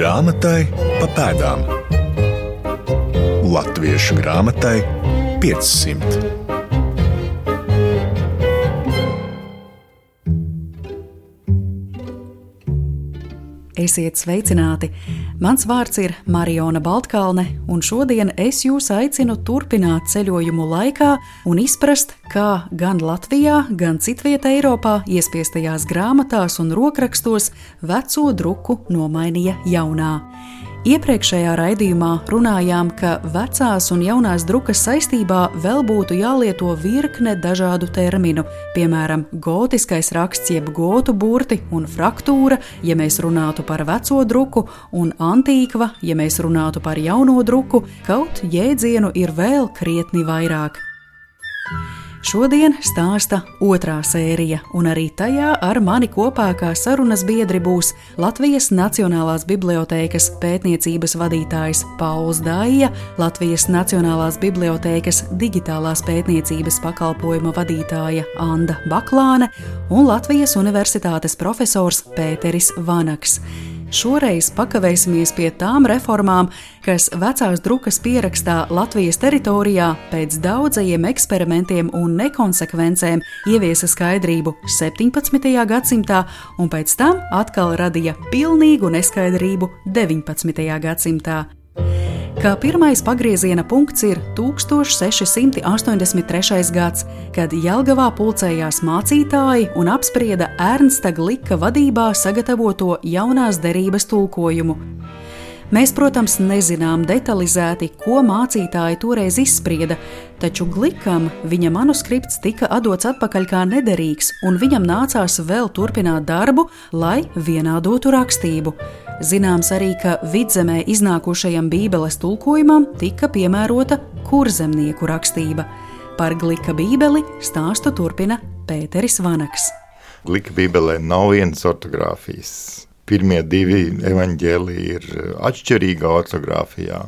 Grāmatai pa pēdām. Latviešu grāmatai 500. Esiet sveicināti! Mans vārds ir Mariona Baltkalne, un šodien es jūs aicinu turpināt ceļojumu laikā un izprast, kā gan Latvijā, gan citvietā Eiropā iespiestajās grāmatās un rokrakstos veco druku nomainīja jaunā. Iepriekšējā raidījumā runājām, ka vecās un jaunās drukas saistībā vēl būtu jālieto virkne dažādu terminu, piemēram, gotiskais raksts jeb gotu burti un fraktūra, ja mēs runātu par veco druku, un antīkva, ja mēs runātu par jauno druku, kaut jēdzienu ir vēl krietni vairāk. Šodien stāsta otrā sērija, un arī tajā ar mani kopā kā sarunas biedri būs Latvijas Nacionālās bibliotēkas pētniecības vadītājs Pauls Daija, Latvijas Nacionālās bibliotēkas digitālās pētniecības pakalpojuma vadītāja Anda Baklāne un Latvijas Universitātes profesors Pēteris Vanaks. Šoreiz pakavēsimies pie tām reformām, kas vecās drukas pierakstā Latvijas teritorijā pēc daudzajiem eksperimentiem un nekonsekvencēm ieviesa skaidrību 17. gadsimtā un pēc tam atkal radīja pilnīgu neskaidrību 19. gadsimtā. Kā pirmais pagrieziena punkts ir 1683. gads, kad Jelgavā pulcējās mācītāji un apsprieda Ernsta Glika vadībā sagatavoto jaunās derības tulkojumu. Mēs, protams, nezinām detalizēti, ko mācītāji toreiz izsprieda, taču Glikam viņa manuskripts tika atdots atpakaļ kā nederīgs, un viņam nācās vēl turpināt darbu, lai vienādotu rakstību. Zināms arī, ka Vidzemē iznākušajam Bībeles tulkojumam tika piemērota kurzemnieku rakstība. Par Glika bībeli stāstu turpina Pēteris Vanaks. Glika bībelē nav vienas ortogrāfijas. Pirmie divi evaņģēliji ir atšķirīgā ortogrāfijā,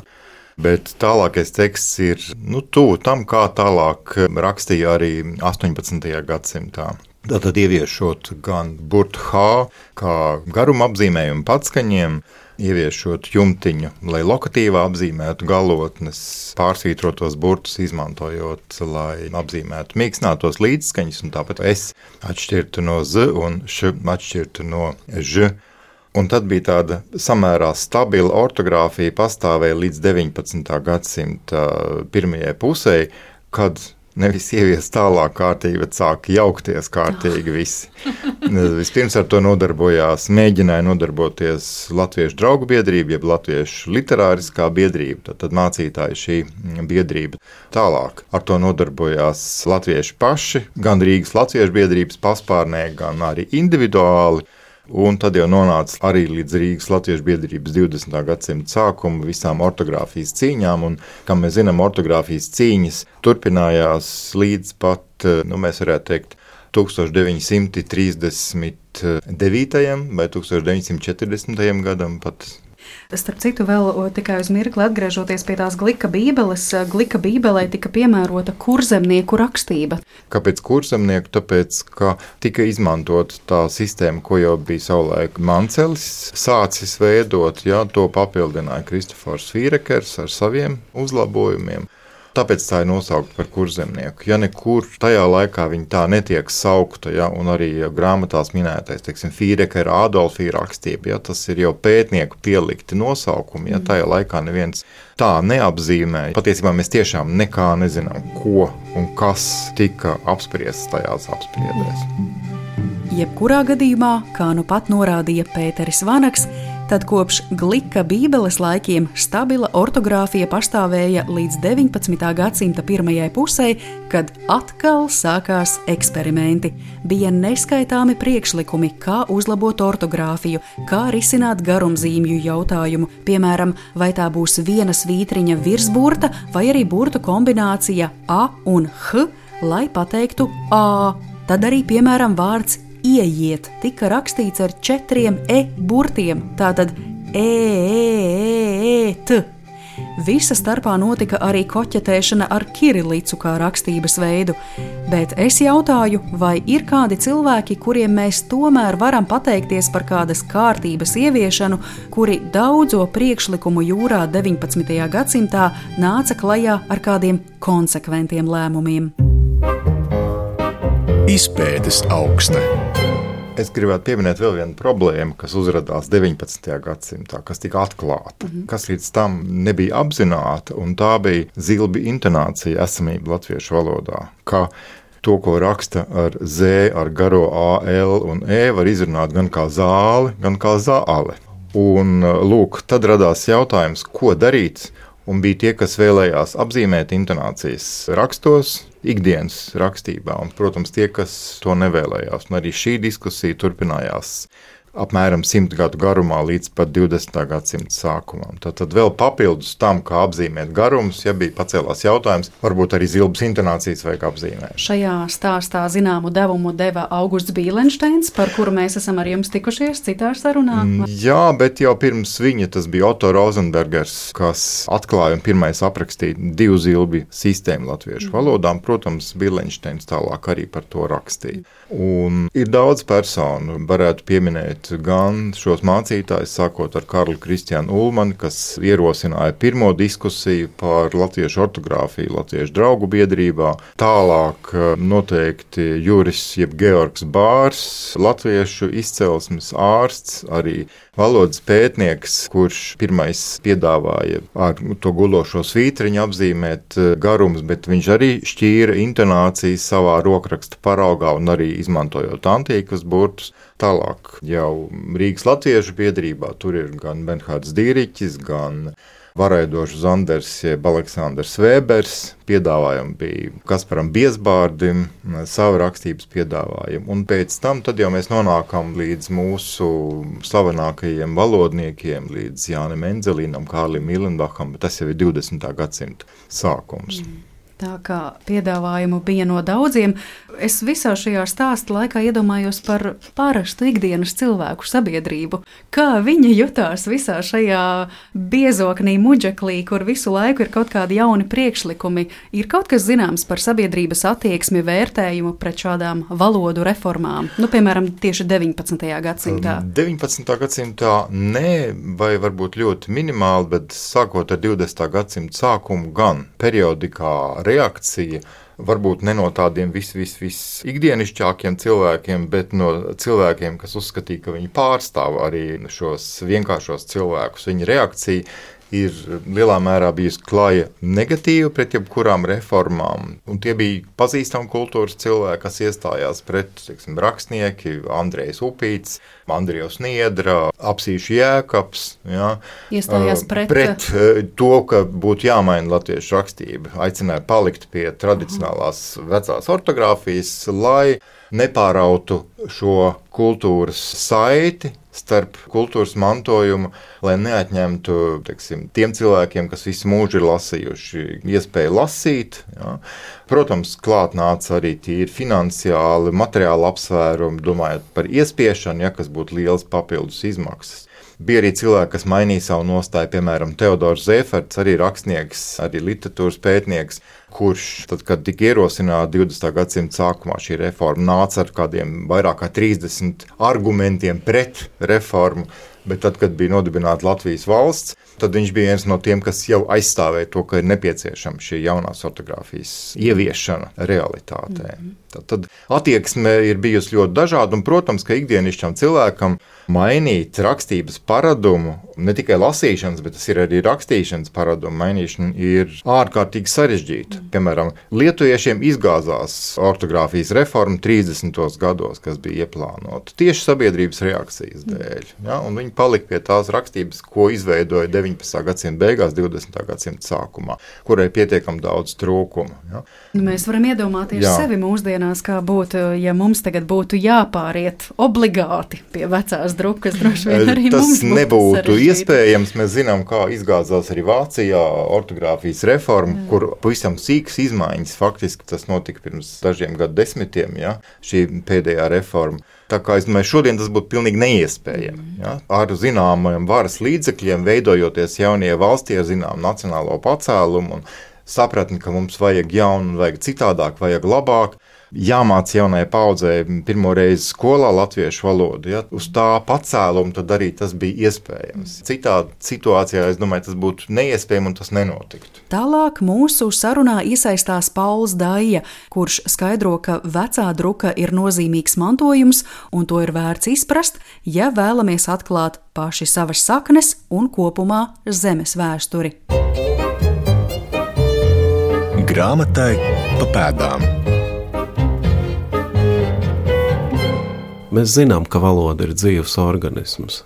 bet tālākais teksts ir tuvu tam, kā tālāk rakstīja arī 18. gadsimtā. Tātad ieviešot gan burtu H, kā garuma apzīmējumu patskaņiem, ieviešot jumtiņu, lai lokatīvā apzīmētu galotnes, pārsvītrotos burtus izmantojot, lai apzīmētu mīkstinātos līdzskaņas, un tāpat S atšķirtu no Z un Š atšķirtu no Ž. Un tad bija tāda samērā stabila ortogrāfija pastāvēja līdz 19. gadsimta pirmajai pusē, kad nevis ievies tālāk kārtīgi, bet sāk jaukties kārtīgi visi. Vispirms ar to mēģināja nodarboties Latviešu draugu biedrība, jeb Latviešu literāriskā biedrība, tad mācītāji šī biedrība. Tālāk ar to nodarbojās latvieši paši, gan Rīgas Latviešu biedrības paspārnē, gan arī individuāli. Un tad jau nonāca arī līdz Rīgas Latviešu biedrības 20. gadsimta sākumu visām ortogrāfijas cīņām, un, kā mēs zinām, ortogrāfijas cīņas turpinājās līdz pat, mēs varētu teikt, 1939. vai 1940. gadam pat. Starp citu, vēl tikai uz mirkli atgriežoties pie tās Glika bībeles, Glika bībelē tika piemērota kurzemnieku rakstība. Kāpēc kurzemnieku? Tāpēc, ka tika izmantot tā sistēma, ko jau bija savulaik Mancelis sācis veidot, to papildināja Kristofors Fīrekers ar saviem uzlabojumiem. Tāpēc tā ir nosaukta par kurzemnieku. Ja nekur tajā laikā viņa tā netiek saukta, un arī grāmatās minētais, Fīrekera Adolfija rakstība, tas ir jau pētnieku pielikti nosaukumi, tajā laikā neviens tā neapzīmēja. Patiesībā mēs tiešām nekā nezinām, ko un kas tika apspriests tajās apspriedēs. Jebkurā gadījumā, kā nu pat norādīja Pēteris Vanaks, tad kopš Glika bībeles laikiem stabila ortogrāfija pastāvēja līdz 19. gadsimta pirmajai pusē, kad atkal sākās eksperimenti. Bija neskaitāmi priekšlikumi, kā uzlabot ortogrāfiju, kā risināt garumzīmju jautājumu, piemēram, vai tā būs viena svītriņa virsburta vai arī burtu kombinācija A un H, lai pateiktu A. Tad arī, piemēram, vārds ieiet tika rakstīts ar 4 e burtiem, tātad t. Visa starpā notika arī koķetēšana ar kirilicu kā rakstības veidu. Bet es jautāju, vai ir kādi cilvēki, kuriem mēs tomēr varam pateikties par kādas kārtības ieviešanu, kuri daudzo priekšlikumu jūrā 19. gadsimtā nāca klajā ar kādiem konsekventiem lēmumiem. Izpētes augsne. Es gribētu pieminēt vēl vienu problēmu, kas uzradās 19. gadsimtā, kas tika atklāta, kas līdz tam nebija apzināta, un tā bija zilbi intonācija esamība latviešu valodā, ka to, ko raksta ar Z, ar garo A, L un E, var izrunāt gan kā zāli, gan kā zāle. Un lūk, tad radās jautājums, ko darīt, un bija tie, kas vēlējās apzīmēt intonācijas rakstos, ikdienas rakstībā, un, protams, tie, kas to nevēlējās. Un arī šī diskusija turpinājās apmēram 100 gadu garumā līdz pat 20. gadsimta sākumam. Tad vēl papildus tam, kā apzīmēt garumus, ja bija pacēlās jautājums, varbūt arī zilbas intonācijas vajag apzīmēt. Šajā stāstā zināmu devumu deva Augusts Bīlenšteins, par kuru mēs esam ar jums tikušies citā sarunā. Jā, bet jau pirms viņa tas bija Otto Rozenbergers, kas atklāja un pirmais aprakstīja 2 zilbi sistēmu latviešu valodām. Protams, Bīlenšteins tālāk arī par to rakstīja. Un ir daudz personu, varētu pieminēt gan šos mācītājus, sākot ar Karlu Kristiānu Ulmani, kas ierosināja pirmo diskusiju par latviešu ortogrāfiju Latviešu draugu biedrībā. Tālāk noteikti Juris jeb Georgs Bārs, latviešu izcelsmes ārsts, arī valodas pētnieks, kurš pirmais piedāvāja ar to gulošo svītriņu apzīmēt garumus, bet viņš arī šķīra intonācijas savā rokraksta paraugā un arī izmantojot antīkas burtus. Tālāk jau Rīgas latviešu biedrībā tur ir gan Bernhards Dīriķis, gan Varaidošs Zanders, jeb Aleksandrs Vēbers. Piedāvājumi bija Kasparam Biesbārdim, savu rakstības piedāvājumu. Un pēc tam tad jau mēs nonākam līdz mūsu slavenākajiem valodniekiem, līdz Jānim Enzelīnam, Kārlim Milenbacham, bet tas jau ir 20. gadsimta sākums. Tā kā piedāvājumu bija no daudziem, es visā šajā stāsta laikā iedomājos par parastu ikdienas cilvēku sabiedrību. Kā viņi jutās visā šajā biezoknī muģeklī, kur visu laiku ir kaut kādi jauni priekšlikumi. Ir kaut kas zināms par sabiedrības attieksmi, vērtējumu pret šādām valodu reformām? Piemēram, tieši 19. gadsimtā. 19. gadsimtā nē, vai varbūt ļoti minimāli, bet sākot ar 20. gadsimta sākumu gan periodikā reakcija, varbūt ne no tādiem ikdienišķākiem cilvēkiem, bet no cilvēkiem, kas uzskatīja, ka viņi pārstāv arī šos vienkāršos cilvēkus. Viņa reakcija ir lielā mērā bijusi klaja negatīva pret jebkurām reformām. Un tie bija pazīstami kultūras cilvēki, kas iestājās pret, rakstnieki, Andrejs Upīts, Andrijos Niedra, Apsīšu Jēkabs. Ja, iestājās pret to, ka būtu jāmaina latviešu rakstība. Aicināja palikt pie tradicionālās vecās ortogrāfijas, lai nepārautu šo kultūras saiti starp kultūras mantojumu, lai neatņemtu tiem cilvēkiem, kas visu mūžu ir lasījuši, iespēju lasīt. Ja. Protams, klāt nāca arī tīri finansiāli, materiāli apsvērumi, domājot par iespiešanu, ja, kas būtu liels papildus izmaksas. Bija arī cilvēki, kas mainīja savu nostāju, piemēram, Teodors Zēferts, arī rakstnieks, arī literatūras pētnieks, kurš, tad, kad tika ierosināta 20. gadsimta sākumā šī reforma, nāca ar kādiem vairāk kā 30 argumentiem pret reformu, bet tad, kad bija nodibināta Latvijas valsts, tad viņš bija viens no tiem, kas jau aizstāvēja to, ka ir nepieciešama šī jaunās ortogrāfijas ieviešana realitātē. Tad attieksme ir bijusi ļoti dažāda, un, protams, ka ikdienišķam cilvēkam mainīt rakstības paradumu, ne tikai lasīšanas, bet tas ir arī rakstīšanas paradumu mainīšana, ir ārkārtīgi sarežģīta. Piemēram, lietuviešiem izgāzās ortogrāfijas reforma 30. gados, kas bija ieplānota tieši sabiedrības reakcijas dēļ. Ja? Un viņi palika pie tās rakstības, ko izveidoja 19. gadsimta beigās, 20. gadsimta sākumā, kurai pietiekami daudz trūkumu. Ja? Mēs varam iedomāties sevi mūsdienās, kā būtu, ja mums tagad būtu jāpāriet obligāti pie vecās drukas, droši vien arī tas mums būtu nebūtu iespējams. Mēs zinām, kā izgāzās arī Vācijā ortogrāfijas reforma, kur pavisam sīkas izmaiņas, faktiski tas notika pirms dažiem gadu desmitiem, ja, šī pēdējā reforma. Tā kā es domāju, šodien tas būtu pilnīgi neiespējami. Ja? Ar zināmiem varas līdzekļiem, veidojoties jaunie valstī ar zināmu nacionālo pacēlumu un sapratni, ka mums vajag jaunu, vajag citādāk, vajag labāk. Jāmāc jaunai paudzei pirmo reizi skolā latviešu valodu. Ja? Uz tā pacēlumu tad arī tas bija iespējams. Citādi situācijā, es domāju, tas būtu neiespējami un tas nenotiktu. Tālāk mūsu sarunā iesaistās Pauls Daija, kurš skaidro, ka vecā druka ir nozīmīgs mantojums un to ir vērts izprast, ja vēlamies atklāt paši savas saknes un kopumā zemes vēsturi. Grāmatai pa pēdām. Mēs zinām, ka valoda ir dzīvs organisms,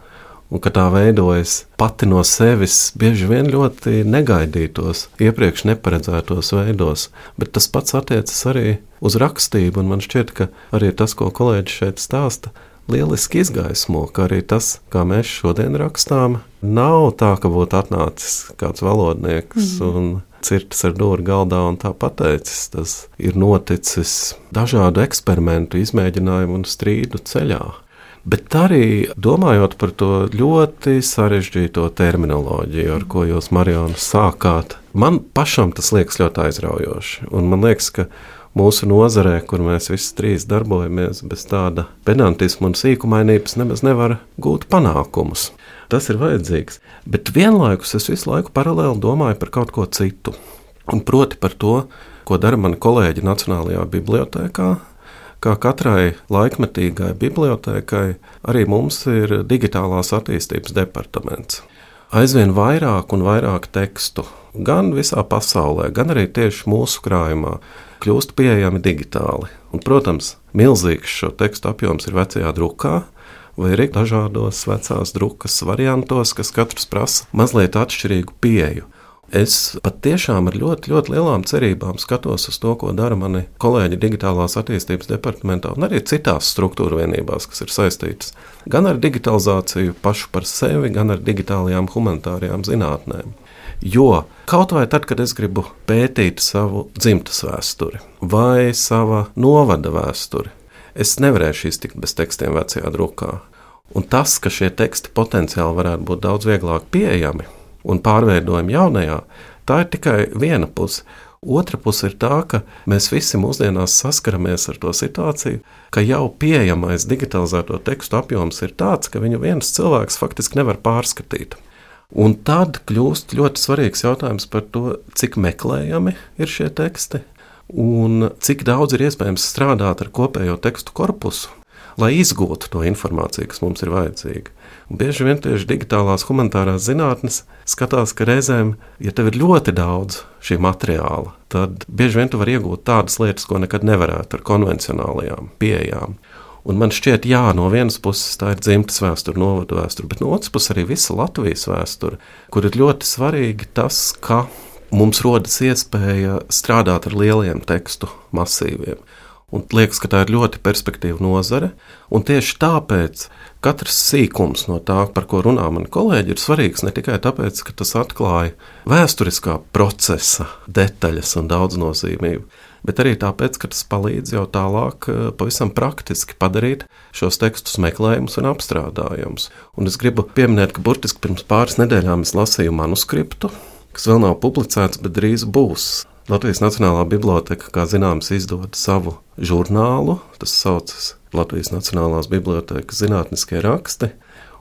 un ka tā veidojas pati no sevis bieži vien ļoti negaidītos, iepriekš neparedzētos veidos, bet tas pats attiecas arī uz rakstību, un man šķiet, ka arī tas, ko kolēģis šeit stāsta, lieliski izgaismo, ka arī tas, kā mēs šodien rakstām, nav tā, ka būtu atnācis kāds valodnieks un cirtis ar dūri galdā un tā pateicis. Tas ir noticis dažādu eksperimentu, izmēģinājumu un strīdu ceļā. Bet arī domājot par to ļoti sarežģīto terminoloģiju, ar ko jūs, Mariona, sākāt, man pašam tas liekas ļoti aizraujoši. Un man liekas, ka mūsu nozarē, kur mēs visi trīs darbojamies, bez tāda pedantisma un sīkumainības nemaz nevar gūt panākumus. Tas ir vajadzīgs, bet vienlaikus es visu laiku paralēli domāju par kaut ko citu. Un proti par to, ko dara mani kolēģi Nacionālajā bibliotēkā. Kā katrai laikmetīgai bibliotēkai, arī mums ir digitālās attīstības departaments. Aizvien vairāk un vairāk tekstu, gan visā pasaulē, gan arī tieši mūsu krājumā, kļūst pieejami digitāli. Un, protams, milzīgs šo tekstu apjoms ir vecajā drukā, vai arī dažādos vecās drukas variantos, kas katrs prasa mazliet atšķirīgu pieeju. Es pat tiešām ar ļoti, ļoti lielām cerībām skatos uz to, ko dara mani kolēģi digitālās attīstības departamentā un arī citās struktūra vienībās, kas ir saistītas gan ar digitalizāciju pašu par sevi, gan ar digitālajām humanitārajām zinātnēm. Jo kaut vai tad, kad es gribu pētīt savu dzimtas vēsturi vai sava novada vēsturi, es nevarēšu iztikt bez tekstiem vecajā drukā. Un tas, ka šie teksti potenciāli varētu būt daudz vieglāk pieejami un pārveidojami jaunajā, tā ir tikai viena puse. Otra puse ir tā, ka mēs visi mūsdienās saskaramies ar to situāciju, ka jau pieejamais digitalizēto tekstu apjoms ir tāds, ka viņu viens cilvēks faktiski nevar pārskatīt. Un tad kļūst ļoti svarīgs jautājums par to, cik meklējami ir šie teksti, un cik daudz ir iespējams strādāt ar kopējo tekstu korpusu, lai izgūtu to informāciju, kas mums ir vajadzīga. Un bieži vien tieši digitālās humanitārās zinātnes skatās, ka reizēm, ja tev ir ļoti daudz šī materiāla, tad bieži vien tu vari iegūt tādas lietas, ko nekad nevarētu ar konvencionālajām pieejām. Un man šķiet, jā, no vienas puses tā ir dzimtas vēsture, novadu vēsture, bet no otras puses arī visa Latvijas vēsture, kur ir ļoti svarīgi tas, ka mums rodas iespēja strādāt ar lieliem tekstu masīviem. Un liekas, ka tā ir ļoti perspektīva nozare, un tieši tāpēc katrs sīkums no tā, par ko runā mani kolēģi, ir svarīgs ne tikai tāpēc, ka tas atklāja vēsturiskā procesa detaļas un daudznozīmību, bet arī tāpēc, ka tas palīdz jau tālāk pavisam praktiski padarīt šos tekstus meklējumus un apstrādājumus. Un es gribu pieminēt, ka burtiski pirms pāris nedēļām es lasīju manuskriptu, kas vēl nav publicēts, bet drīz būs. Latvijas Nacionālā biblioteka, kā zināms, izdod savu žurnālu, tas saucas Latvijas Nacionālās bibliotekas zinātniskie raksti,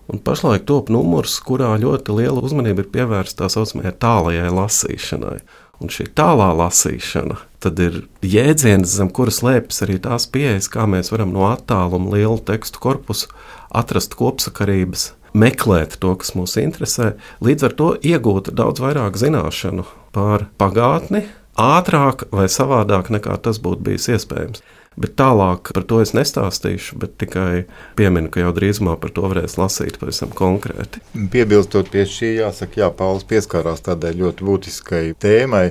un pašlaik top numurs, kurā ļoti liela uzmanība ir pievērsta tā saucamajai tālajai lasīšanai. Un šī tālā lasīšana tad ir jēdziens, zem kuras slēpjas arī tās pieejas, kā mēs varam no attāluma lielu tekstu korpusu atrast kopsakarības, meklēt to, kas mūs interesē, līdz ar to iegūt daudz vairāk zināšanu par pagātni, ātrāk vai savādāk nekā tas būtu bijis iespējams. Bet tālāk par to es nestāstīšu, bet tikai pieminu, ka jau drīzumā par to varēs lasīt pavisam konkrēti. Piebilstot pie šī, jāsaka, jā, Pauls pieskārās tādai ļoti būtiskai tēmai.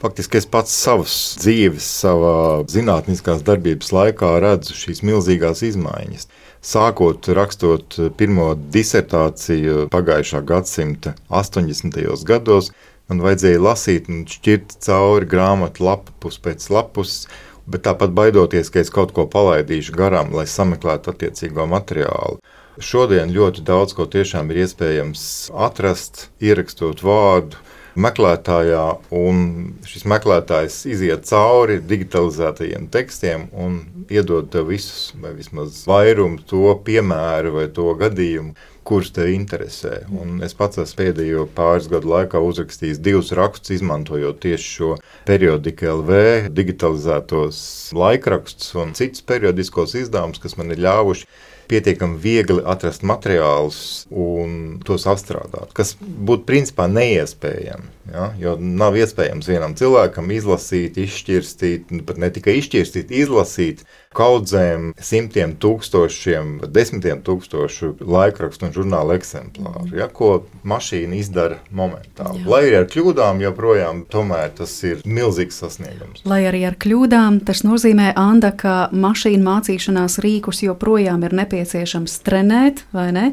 Faktiski es pats savas dzīves, savā zinātniskās darbības laikā redzu šīs milzīgās izmaiņas. Sākot rakstot pirmo disertāciju pagājušā gadsimta 80. gados, man vajadzēja lasīt un šķirt cauri grāmatu lapus pēc lapus, bet tāpat baidoties, ka es kaut ko palaidīšu garām, lai sameklētu attiecīgo materiālu. Šodien ļoti daudz ko tiešām ir iespējams atrast, ierakstot vārdu meklētājā, un šis meklētājs iziet cauri digitalizētajiem tekstiem un iedod tev visus, vai vismaz vairumu to piemēru vai to gadījumu, kurš tev interesē. Un es pats esmu pēdējo pāris gadu laikā uzrakstījis 2 rakstus, izmantojot tieši šo periodika LV, digitalizētos laikrakstus un citus periodiskos izdevumus, kas man ir ļāvuši pietiekami viegli atrast materiālus un tos apstrādāt, kas būtu principā neiespējami. Ja? Jo nav iespējams vienam cilvēkam izlasīt, izšķirstīt, pat ne tikai izšķirstīt, izlasīt kaudzēm, simtiem tūkstošiem, desmitiem tūkstošu laikrakstu un žurnālu eksemplāru, ja? Ko mašīna izdara momentāli. Lai arī ar kļūdām joprojām, tomēr tas ir milzīgs sasniegums. Lai arī ar kļūdām, tas nozīmē, Anda, ka mašīnu mācīšanās rīkus joprojām ir nepieciešams trenēt, vai ne?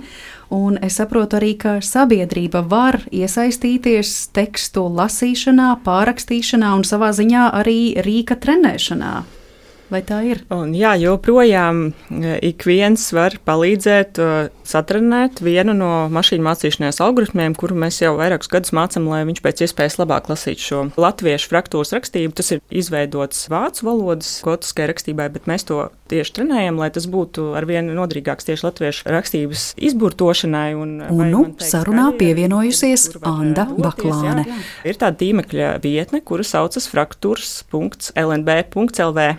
Un es saprotu arī, ka sabiedrība var iesaistīties tekstu lasīšanā, pārrakstīšanā un savā ziņā arī rīka trenēšanā. Vai tā ir? Un jā, joprojām ik viens var palīdzēt satrenēt vienu no mašīnu mācīšanās algoritmiem, kuru mēs jau vairākus gadus mācām, lai viņš pēc iespējas labāk lasītu šo latviešu fraktūras rakstību. Tas ir izveidots vācu valodas gotiskai rakstībai, bet mēs to tieši trenējam, lai tas būtu arvien noderīgāks tieši latviešu rakstības izburtošanai. Un sarunā pievienojusies Anda Baklāne. Jā. Ir tāda tīmekļa vietne, kura saucas fraktūras.lnb.lv.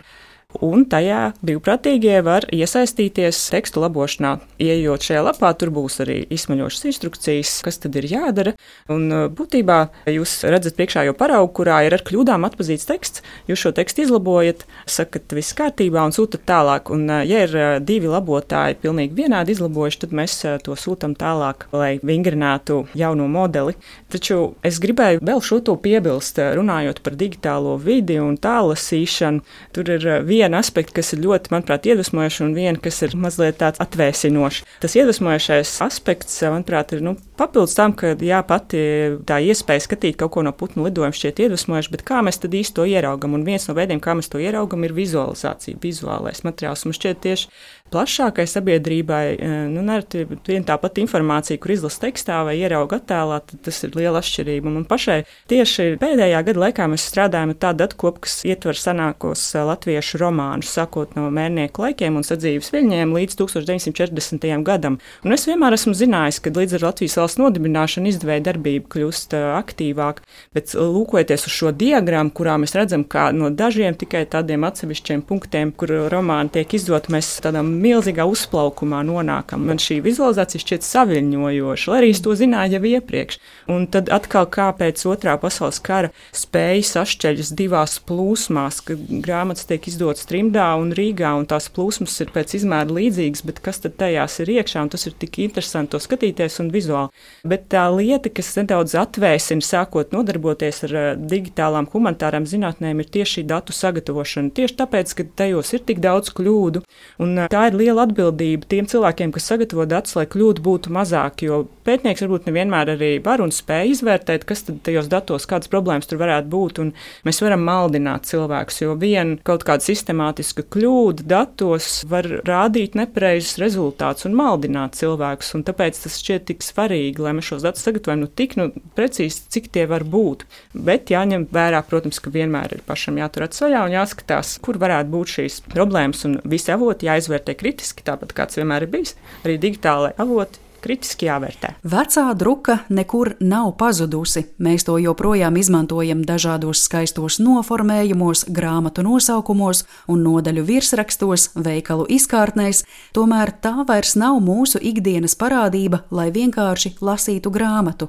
Un tajā brīvprātīgie var iesaistīties tekstu labošanā. Ieejot šajā lapā, tur būs arī izsmeļošas instrukcijas, kas tad ir jādara. Un būtībā jūs redzat priekšā jau paraugu, kurā ir ar kļūdām atpazīts teksts. Jūs šo tekstu izlabojat, sakat viss kārtībā un sūtat tālāk. Un ja ir 2 labotāji pilnīgi vienādi izlabojuši, tad mēs to sūtam tālāk, lai vingrinātu jauno modeli. Taču es gribēju vēl šo to piebilst, runājot par digitālo vidi un tālasīšanu. Tur ir viena aspekta, kas ir ļoti, manuprāt, iedvesmojoši, un viena, kas ir mazliet tāds atvēsinošs. Tas iedvesmojošais aspekts, manuprāt, ir papildus tam, ka pati tā iespēja skatīt kaut ko no putnu lidojuma šķiet iedvesmojoši, bet kā mēs tad īsti to ieraugam? Un viens no veidiem, kā mēs to ieraugam, ir vizualizācija, vizuālais materiāls. Un šķiet tieši plašākai sabiedrībai, nereti viena tā pati informācija, kur izlasa tekstā vai ierauga attēlā, tad tas ir liela atšķirība. Un pašai tieši pēdējā gada laikā mēs strādājam ar tādu datkopu, kas ietver senākos latviešu romānus, sākot no Mērnieku laikiem un sadzīves viļņiem līdz 1940. gadam. Un es vienmēr esmu zinājis, ka līdz ar Latvijas valsts nodibināšanu izdevēja darbība kļūst aktīvāk, bet lūkojoties uz šo diagrammu, kurā mēs redzam, kā no dažiem tikai tādiem atsevišķiem punktiem, kur romāni tiek izdot, mēs tādā milzīgā uzplaukumā nonākam. Man šī vizualizācija šķiet saviļņojoša, lai arī es to zināju jau iepriekš. Un tad atkal kā pēc Otrā pasaules kara spēja sašķeļas 2 plūsmās, ka grāmatas tiek izdotas trimdā un Rīgā, un tās plūsmas ir pēc izmēra līdzīgas, bet kas tad tajās ir iekšā, un tas ir tik interesanti to skatīties un vizuāli. Bet tā lieta, kas nedaudz atvēsina, sākot nodarboties ar digitālām humanitārām zinātnēm, ir tieši šī datu sagatavošana. Tieši tāpēc, ka tajos ir tik daudz kļūdu, un tā ir liela atbildība tiem cilvēkiem, kas sagatavo datus, lai kļūdu būtu mazāk, jo pētnieks varbūt nevienmēr arī var un spēj izvērtēt, kas tad tajos datos, kādas problēmas tur varētu būt, un mēs varam maldināt cilvēkus, jo viena kaut kāda sistemātiska kļūda datos var rādīt nepareizus rezultātus un maldināt cilvēkus, un tāpēc tas šķiet tik svarīgi, lai mēs šos datus sagatavojam tik precīzi, cik tie var būt. Bet jāņem vērā, protams, ka vienmēr ir pašam jātur acis vaļā un jāskatās, kur varētu būt šīs problēmas, un visi avoti jāizvērtē kritiski, tāpat kāds vienmēr ir bijis, arī digitālai avoti kritiski jāvērtē. Vecā druka nekur nav pazudusi. Mēs to joprojām izmantojam dažādos skaistos noformējumos, grāmatu nosaukumos un nodaļu virsrakstos, veikalu izkārtnēs, tomēr tā vairs nav mūsu ikdienas parādība, lai vienkārši lasītu grāmatu.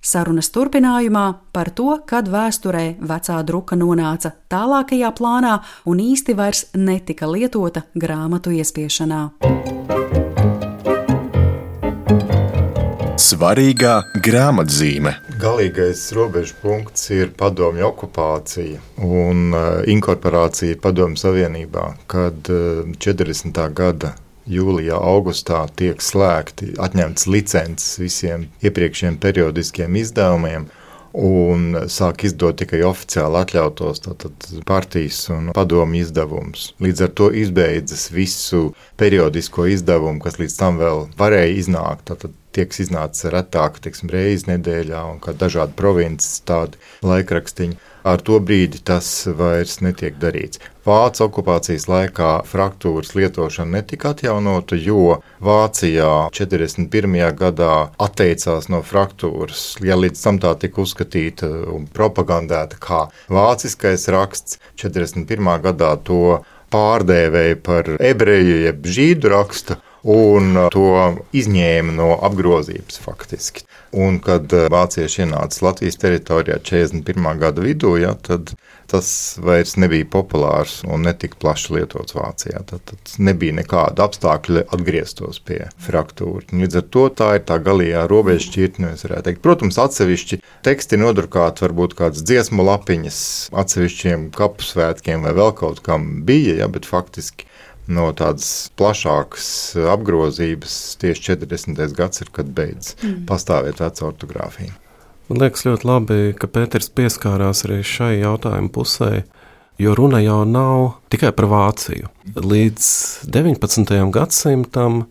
Sarunas turpinājumā par to, kad vēsturē vecā druka nonāca tālākajā plānā un īsti vairs netika lietota grāmatu iespiešanā. Svarīgā grāmatzīme. Galīgais robežu punkts ir padomju okupācija un inkorporācija Padomju Savienībā, kad 40. gada jūlijā, augustā tiek slēgti, atņemts licences visiem iepriekšējiem periodiskiem izdevumiem, un sāk izdot tikai oficiāli atļautos partijas un padomju izdevumus. Līdz ar to izbeidzas visu periodisko izdevumu, kas līdz tam vēl varēja iznākt. Tātad tiek iznācis retāk, reizi nedēļā, un kā dažādi provinces tādi laikrakstiņi. Ar to brīdi tas vairs netiek darīts. Vācu okupācijas laikā fraktūras lietošana netika atjaunota, jo Vācijā 41. gadā atteicās no fraktūras, ja līdz tam tā tika uzskatīta un propagandēta kā vāciskais raksts. 41. gadā to pārdēvēja par ebreju jeb žīdu rakstu, un to izņēma no apgrozības faktiski. Un, kad vācieši ienāca Latvijas teritorijā 41. gada vidū, tad tas vairs nebija populārs un netika plaši lietots Vācijā. Tad nebija nekāda apstākļa atgrieztos pie fraktūra. Līdz ar to tā ir tā galīgā robežšķirtne, es varētu teikt. Protams, atsevišķi teksti nodrukāti, varbūt kādas dziesmu lapiņas atsevišķiem kapu svētkiem vai vēl kaut kam bija, bet faktiski no tādas plašākas apgrozības tieši 40. gads ir, kad beidz pastāvēt veca ortogrāfija. Man liekas ļoti labi, ka Pēters pieskārās arī šai jautājumu pusē, jo runa jau nav tikai par Vāciju. Līdz 19. gadsimtam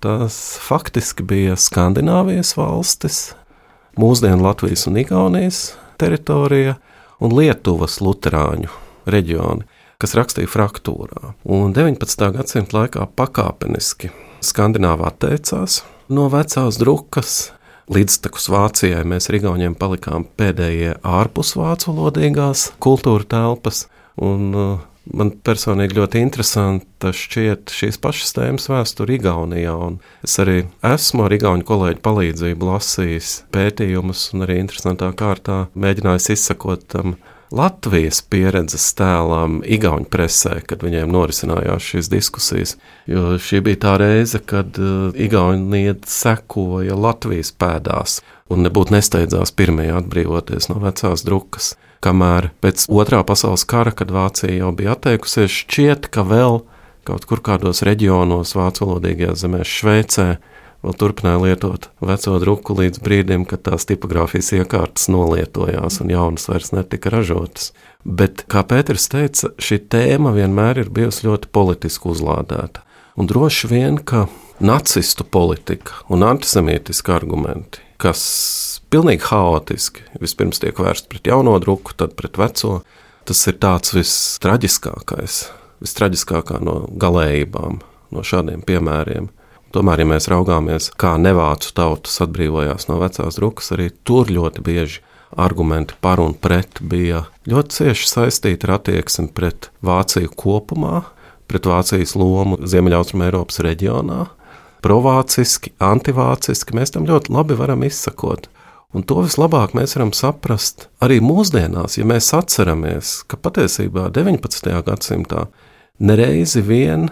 tas faktiski bija Skandināvijas valstis, mūsdienu Latvijas un Igaunijas teritorija un Lietuvas luterāņu reģioni, kas rakstīja fraktūrā. Un 19. gadsimta laikā pakāpeniski Skandināvā atteicās no vecās drukas. Līdztekus Vācijai mēs ar Igauniem palikām pēdējie ārpus vācu valodīgās kultūra telpas. Un man personīgi ļoti interesanti šķiet šīs pašas tēmas vēsture Igaunijā. Un es arī esmu ar igauņu kolēģu palīdzību lasījis pētījumus un arī interesantā kārtā mēģinājis izsakot tam Latvijas pieredzes tēlām igauņu presē, kad viņiem norisinājās šīs diskusijas, jo šī bija tā reize, kad Igaunija sekoja Latvijas pēdās un nebūtu nesteidzās pirmajā atbrīvoties no vecās drukas, kamēr pēc Otrā pasaules kara, kad Vācija jau bija atteikusies, šķiet, ka vēl kaut kur kādos reģionos vācu valodīgajās zemēs Šveicē vēl turpināja lietot veco druku līdz brīdim, kad tās tipogrāfijas iekārtas nolietojās un jaunas vairs netika ražotas. Bet, kā Pēters teica, šī tēma vienmēr ir bijusi ļoti politiski uzlādēta. Un droši vien, ka nacistu politika un antisemītiski argumenti, kas pilnīgi haotiski vispirms tiek vērsti pret jauno druku, tad pret veco, tas ir tāds vistraģiskākā no galējībām, no šādiem piemēriem. Tomēr, ja mēs raugāmies, kā nevācu tautas atbrīvojās no vecās drukas, arī tur ļoti bieži argumenti par un pret bija ļoti cieši saistīti ar attieksmi pret Vāciju kopumā, pret Vācijas lomu Ziemeļaustrum Eiropas reģionā, provāciski, antivāciski, mēs tam ļoti labi varam izsakot. Un to vislabāk mēs varam saprast arī mūsdienās, ja mēs atceramies, ka patiesībā 19. gadsimtā nereizi vien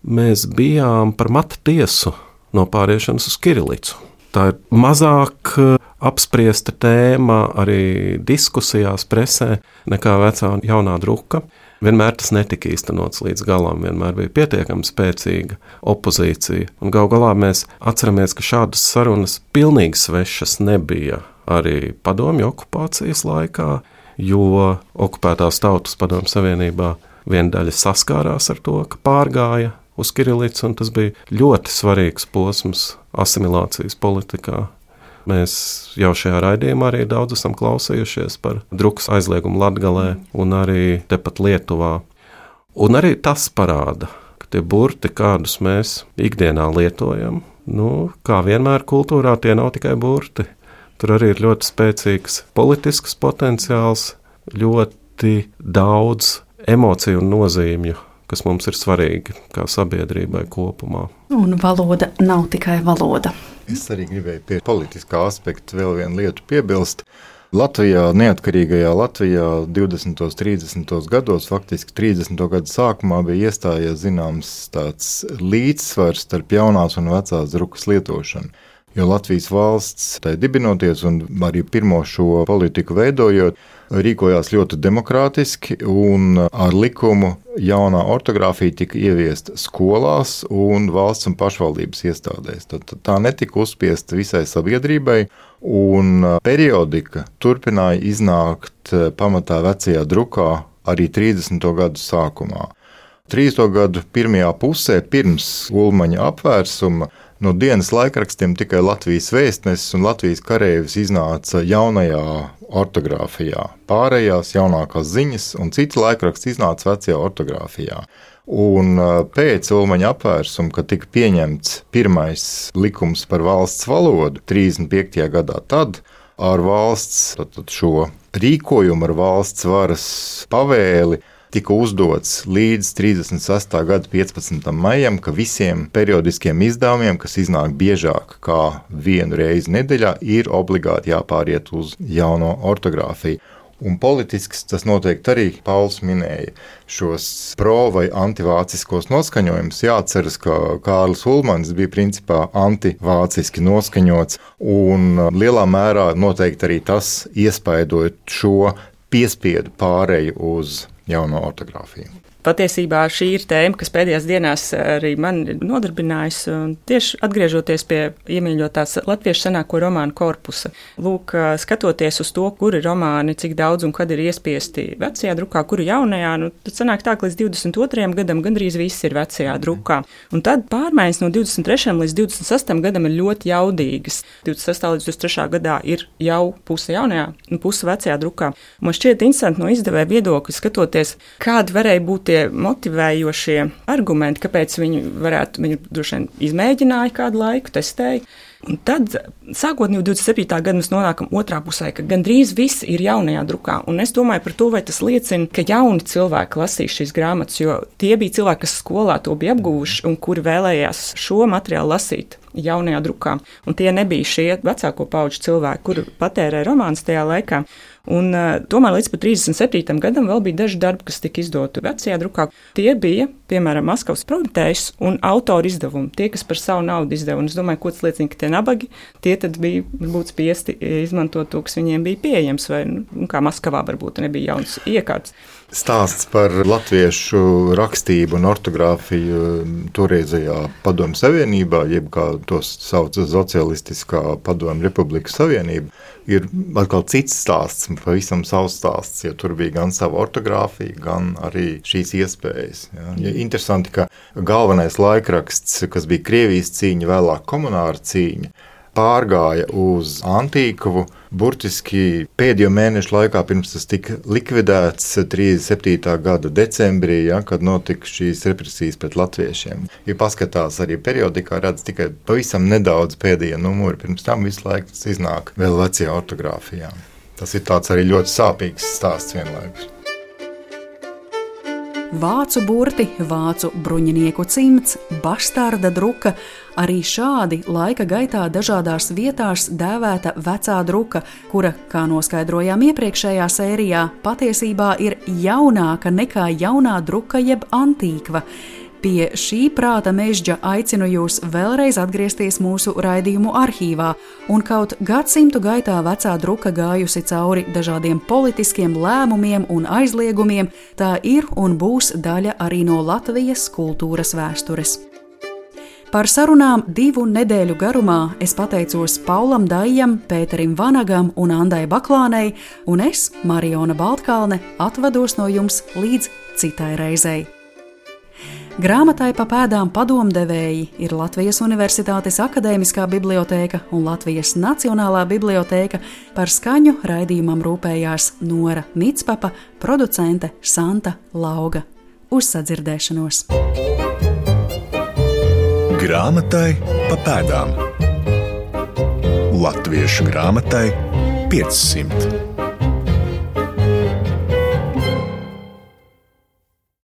mēs bijām par matu tiesu no pāriešanas uz kirilicu. Tā ir mazāk apspriesta tēma arī diskusijās presē nekā vecā un jaunā druka. Vienmēr tas netika īstenots līdz galam, vienmēr bija pietiekami spēcīga opozīcija. Un gal galā mēs atceramies, ka šādas sarunas pilnīgi svešas nebija arī padomju okupācijas laikā, jo okupētās tautas padomju savienībā viena daļa saskārās ar to, ka pārgāja uz kirilicu, un tas bija ļoti svarīgs posms asimilācijas politikā. Mēs jau šajā raidījumā arī daudz esam klausījušies par drukas aizliegumu Latgalē un arī tepat Lietuvā. Un arī tas parāda, ka tie burti, kādus mēs ikdienā lietojam, kā vienmēr kultūrā, tie nav tikai burti. Tur arī ir ļoti spēcīgs politisks potenciāls, ļoti daudz emociju un nozīmju, kas mums ir svarīgi kā sabiedrībai kopumā. Un valoda nav tikai valoda. Es arī gribēju pie politiskā aspekta vēl vienu lietu piebilst. Latvijā, neatkarīgajā Latvijā 20. un 30. gados, faktiski 30. gadu sākumā bija iestājies zināms tāds līdzsvars starp jaunās un vecās drukas lietošanu. Jo Latvijas valsts tai dibinoties un arī pirmo šo politiku veidojot, rīkojās ļoti demokrātiski un ar likumu jaunā ortogrāfija tika ieviesta skolās un valsts un pašvaldības iestādēs. Tad tā netika uzspiesta visai sabiedrībai un periodika turpināja iznākt pamatā vecajā drukā arī 30. gadu sākumā. 30. gadu pirmajā pusē pirms Ulmaņa apvērsuma no dienas laikrakstiem tikai Latvijas vēstnesis un Latvijas kareivis iznāca jaunajā ortogrāfijā. Pārējās jaunākās ziņas un citi laikraksti iznāca vecajā ortogrāfijā. Un pēc Ulmaņa apvērsuma, kad tika pieņemts pirmais likums par valsts valodu 35. gadā, tad ar valsts šo rīkojumu, ar valsts varas pavēli tika uzdots līdz 36. gada 15. maijam, ka visiem periodiskiem izdevumiem, kas iznāk biežāk kā vienu reizi nedēļā, ir obligāti jāpāriet uz jauno ortogrāfiju. Un politisks tas noteikti arī Pauls minēja šos pro- vai antivāciskos noskaņojumus. Jāatceras, ka Kārlis Ulmanis bija principā antivāciski noskaņots, un lielā mērā noteikti arī tas iespaidoja šo piespiedu pāreju uz jauno ortogrāfiju. Patiesībā šī ir tēma, kas pēdējās dienās arī man nodarbinājusi, tieši atgriežoties pie iemīļotās latviešu senāko romānu korpusa. Lūk, skatoties uz to, kuri romāni, cik daudz un kad ir iespiesti vecajā drukā, kuri jaunajā, tad sanāk tā, ka līdz 22. gadam gandrīz viss ir vecajā drukā. Un tad pārmaiņas no 23. līdz 26. gadam ir ļoti jaudīgas. 26. līdz 23. gadā ir jau puse jaunajā un puse vecajā drukā. Man šķiet interesanti no izdevēja viedokļa skatoties, kādi varēja būt tie motivējošie argumenti, kāpēc viņi droši vien izmēģināja kādu laiku, testēja. Un tad, sākot no 27. gada, mēs nonākam otrā pusē, ka gandrīz viss ir jaunajā drukā. Un es domāju par to, vai tas liecina, ka jauni cilvēki lasīs šīs grāmatas, jo tie bija cilvēki, kas skolā to bija apguvuši un kuri vēlējās šo materiālu lasīt jaunajā drukā. Un tie nebija šie vecāko pauģu cilvēki, kuri patērē romānus tajā laikā. Un tomēr līdz pat 37. gadam vēl bija daži darbi, kas tika izdoti vecajā drukā. Tie bija, piemēram, Maskavas Prometējs un autora izdevumi, tie, kas par savu naudu izdeva. Un es domāju, ko tas liecina, ka tie nabagi, tie tad bija varbūt spiesti izmantot to, kas viņiem bija pieejams, vai kā Maskavā varbūt nebija jauns iekārts. Stāsts par latviešu rakstību un ortogrāfiju toreizējā Padomju Savienībā, jeb kā tos sauc Socialistiskā Padomju Republikas Savienība, ir atkal cits stāsts, pavisam savs stāsts, jo tur bija gan sava ortogrāfija, gan arī šīs iespējas. Ja, interesanti, ka galvenais laikraksts, kas bija Krievijas cīņa, vēlāk komunāra cīņa, pārgāja uz Antīkavu, burtiski pēdējo mēnešu laikā, pirms tas tika likvidēts 37. gada decembrī, kad notika šīs represijas pret latviešiem. Ja paskatās arī periodikā, redz tikai pavisam nedaudz pēdējie numuri, pirms tam visu laiku tas iznāk vēl vecajā ortogrāfijā. Tas ir tāds arī ļoti sāpīgs stāsts vienlaikus. Vācu burti, vācu bruņinieku cimds, bastarda druka, arī šādi laika gaitā dažādās vietās dēvēta vecā druka, kura, kā noskaidrojām iepriekšējā sērijā, patiesībā ir jaunāka nekā jaunā druka jeb antīkva. Pie šī prāta mežģa aicinu jūs vēlreiz atgriezties mūsu raidījumu arhīvā, un kaut gadsimtu gaitā vecā druka gājusi cauri dažādiem politiskiem lēmumiem un aizliegumiem, tā ir un būs daļa arī no Latvijas kultūras vēstures. Par sarunām 2 nedēļu garumā es pateicos Paulam Dajam, Pēterim Vanagam un Andai Baklānei, un es, Mariona Baltkalne, atvados no jums līdz citai reizei. Grāmatai pa pēdām padomdevēji ir Latvijas Universitātes akadēmiskā bibliotēka un Latvijas Nacionālā bibliotēka. Par skaņu raidījumam rūpējās Nora Mitspapa, producente Santa Lauga. Uz sadzirdēšanos! Grāmatai pa pēdām. Latviešu grāmatai 500.